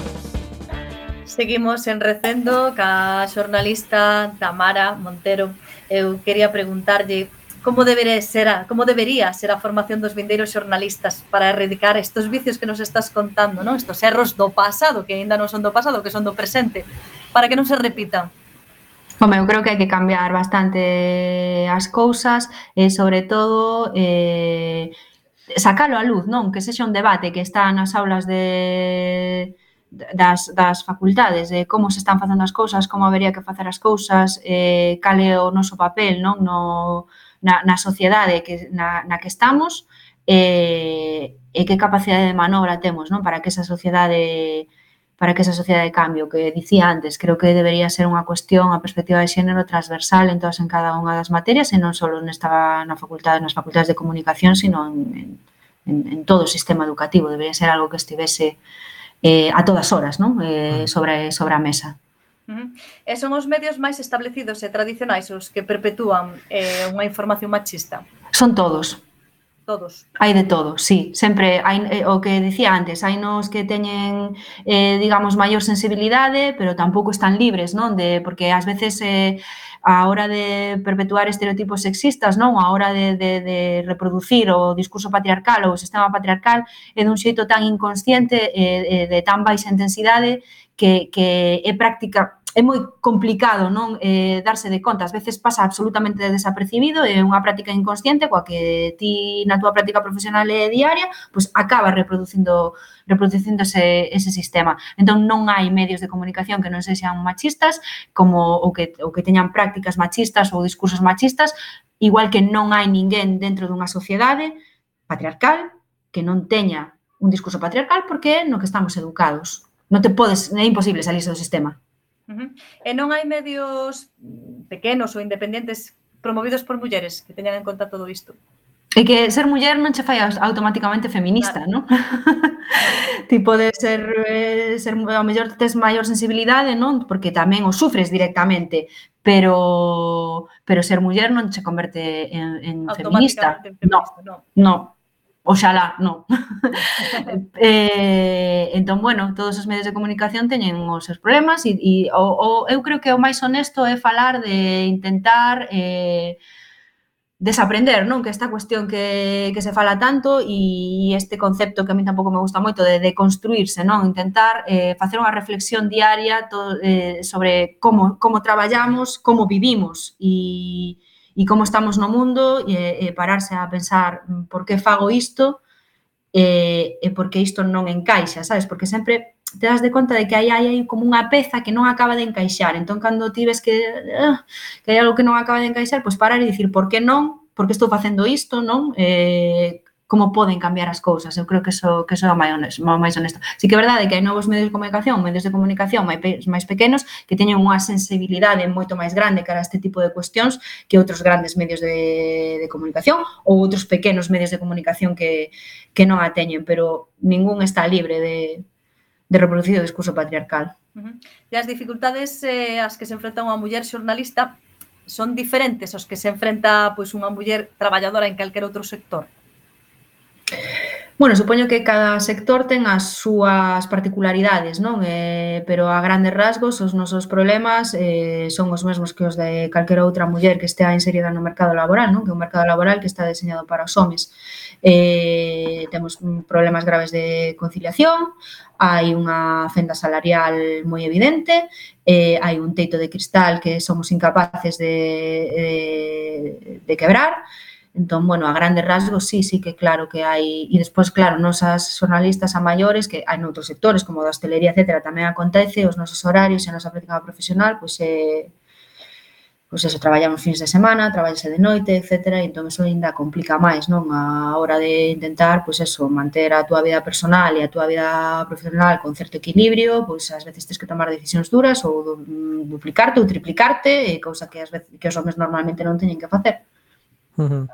Seguimos en Recendo ca xornalista Tamara Montero. Eu quería preguntarlle como debería ser a, como debería ser a formación dos vindeiros xornalistas para erradicar estos vicios que nos estás contando, non? Estos erros do pasado, que aínda non son do pasado, que son do presente, para que non se repitan. Home, eu creo que hai que cambiar bastante as cousas e, sobre todo, eh, sacalo á luz, non? Que sexa un debate que está nas aulas de das, das facultades, de como se están facendo as cousas, como habería que facer as cousas, eh, cal é o noso papel, non? No, na, na sociedade que, na, na que estamos, e, e que capacidade de manobra temos, non? Para que esa sociedade para que esa sociedade de cambio que dicía antes, creo que debería ser unha cuestión, a perspectiva de xénero transversal en todas en cada unha das materias e non só nesta na facultade, nas facultades de comunicación, sino en, en, en todo o sistema educativo. Debería ser algo que estivese eh, a todas horas, non? Eh, sobre, sobre a mesa. Uh-huh. E son os medios máis establecidos e tradicionais os que perpetúan eh, unha información machista? Son todos. Todos. Hai de todo, sí. Sempre hai eh, o que dicía antes, hai nos que teñen, eh, digamos, maior sensibilidade, pero tampouco están libres, non? De, porque ás veces eh, a hora de perpetuar estereotipos sexistas, non? A hora de, de, de reproducir o discurso patriarcal ou o sistema patriarcal é dun xeito tan inconsciente e eh, de tan baixa intensidade que, que é práctica, é moi complicado, non, eh, darse de conta. Ás veces pasa absolutamente desapercibido, é unha práctica inconsciente coa que ti na túa práctica profesional e diaria, pois acaba reproducindo reproducindo ese, ese sistema. Entón non hai medios de comunicación que non sexan machistas, como o que, o que teñan prácticas machistas ou discursos machistas, igual que non hai ninguén dentro dunha sociedade patriarcal que non teña un discurso patriarcal porque é no que estamos educados. non te podes, é imposible salirse do sistema. Uh -huh. E non hai medios pequenos ou independentes promovidos por mulleres que teñan en conta todo isto? E que ser muller non che fai automáticamente feminista, Claro. non? Ti podes ser, eh, ser, ao mellor tes maior sensibilidade, non? Porque tamén o sufres directamente, pero pero ser muller non che converte en, en feminista. Automáticamente en feminista, non. No, oxalá, non. eh, entón, bueno, todos os medios de comunicación teñen os seus problemas e, e o, o, eu creo que o máis honesto é falar de intentar eh, desaprender, non? Que esta cuestión que, que se fala tanto e este concepto que a mí tampouco me gusta moito de, de construirse, non? Intentar eh, facer unha reflexión diaria to, eh, sobre como, como traballamos, como vivimos e, e como estamos no mundo e, e pararse a pensar por que fago isto e, e por que isto non encaixa, sabes? Porque sempre te das de conta de que aí hai como unha peza que non acaba de encaixar. Entón, cando ti ves que, uh, que hai algo que non acaba de encaixar, pois parar e dicir por que non, por que estou facendo isto, non? Eh, como poden cambiar as cousas. Eu creo que eso, que eso é o máis honesto, máis honesto. Sí que é verdade que hai novos medios de comunicación, medios de comunicación máis, máis pequenos que teñen unha sensibilidade moito máis grande cara a este tipo de cuestións que outros grandes medios de, de comunicación ou outros pequenos medios de comunicación que, que non a teñen, pero ningún está libre de de reproducir o discurso patriarcal. Uh -huh. E as dificultades eh, as que se enfrenta unha muller xornalista son diferentes aos que se enfrenta pois, unha muller traballadora en calquer outro sector? Bueno, supoño que cada sector ten as súas particularidades, non? Eh, pero a grandes rasgos os nosos problemas eh, son os mesmos que os de calquera outra muller que estea inserida no mercado laboral, non? Que é un mercado laboral que está diseñado para os homes. Eh, temos problemas graves de conciliación, hai unha fenda salarial moi evidente, eh, hai un teito de cristal que somos incapaces de, de, de quebrar. Entón, bueno, a grandes rasgos, sí, sí que claro que hai... E despois, claro, nosas xornalistas a maiores, que hai noutros sectores, como da hostelería, etcétera, tamén acontece, os nosos horarios e a nosa práctica profesional, pois é... Pois eso, traballamos fins de semana, traballase de noite, etcétera, e entón eso ainda complica máis, non? A hora de intentar, pois eso, manter a túa vida personal e a túa vida profesional con certo equilibrio, pois ás veces tens que tomar decisións duras ou duplicarte ou triplicarte, cousa que ás veces que os homes normalmente non teñen que facer. Uh -huh.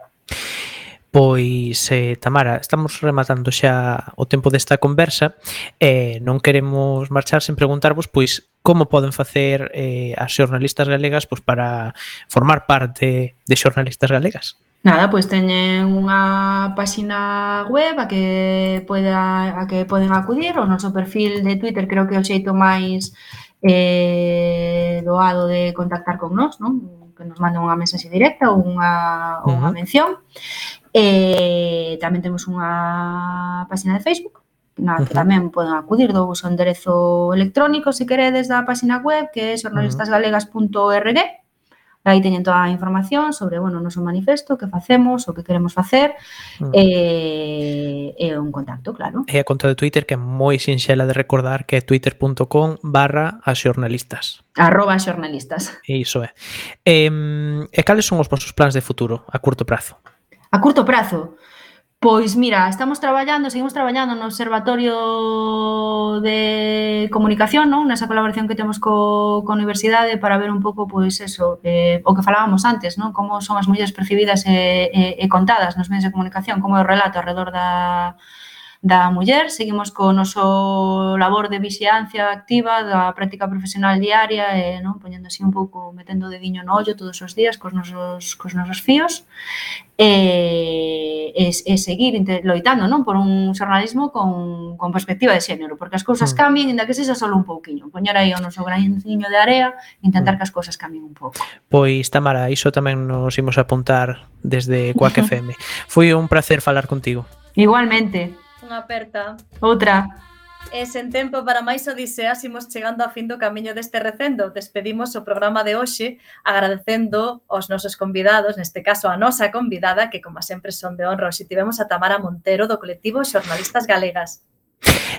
Pois, eh, Tamara, estamos rematando xa o tempo desta conversa e eh, non queremos marchar sen preguntarvos pois como poden facer eh, as xornalistas galegas pois, para formar parte de Xornalistas Galegas. Nada, pois teñen unha páxina web a que poda, a que poden acudir, o noso perfil de Twitter creo que é o xeito máis eh, doado de contactar con nós, non? Que nos manden unha mensaxe directa ou unha, ou unha mención. E tamén temos unha páxina de Facebook na que tamén poden acudir, do o enderezo electrónico se queredes da páxina web que é xornalistas galegas punto org. Aí teñen toda a información sobre, bueno, o noso manifesto, que facemos, o que queremos facer e, e un contacto, claro. E a conta de Twitter que é moi sinxela de recordar que é twitter punto com barra as xornalistas. Arroba xornalistas. Iso é. E, e cales son os vosos plans de futuro a curto prazo? A curto prazo? Pois mira, estamos traballando, seguimos traballando no Observatorio de Comunicación, non? Nesa colaboración que temos co, co Universidade para ver un pouco, pois eso, eh, o que falábamos antes, non? Como son as mulleres percibidas e, e, e contadas nos medios de comunicación, como é o relato alrededor da, da muller. Seguimos co noso labor de vixiancia activa da práctica profesional diaria e, non? Poñendo así un pouco, metendo o dediño no ollo todos os días cos nosos, cos nosos fíos. E, e, e seguir loitando, non? Por un xornalismo con, con perspectiva de xénero, porque as cousas cambien, ainda que sexa só un pouquiño. Poñer aí o noso graniño de area e intentar que as cousas cambien un pouco. Pois, Tamara, iso tamén nos imos apuntar desde Quack F M. Foi un placer falar contigo. Igualmente. Unha aperta. Outra. E sen tempo para máis odiseas, imos chegando a fin do camiño deste recendo. Despedimos o programa de hoxe agradecendo aos nosos convidados, neste caso a nosa convidada, que como sempre son de honra. Hoxe tivemos a Tamara Montero do colectivo Xornalistas Galegas.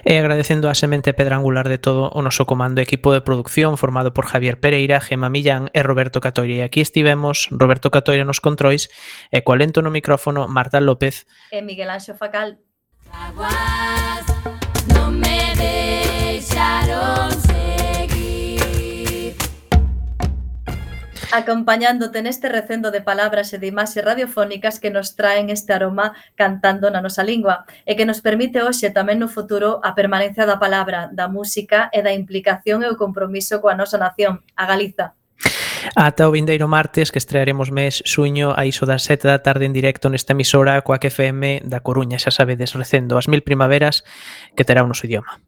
E agradecendo a semente pedra angular de todo o noso comando e equipo de producción formado por Javier Pereira, Gema Millán e Roberto Catoira. E aquí estivemos Roberto Catoira nos controis e co alento no micrófono Marta López e Miguel Anxo Facal. Aguas, no me deixaron. acompañándote neste recendo de palabras e de imaxes radiofónicas que nos traen este aroma cantando na nosa lingua e que nos permite hoxe tamén no futuro a permanencia da palabra, da música e da implicación e o compromiso coa nosa nación, a Galiza. Ata o vindeiro martes que estrearemos mes xuño a iso das sete da tarde en directo nesta emisora coa Q F M da Coruña, xa sabedes, recendo as mil primaveras que terá o noso idioma.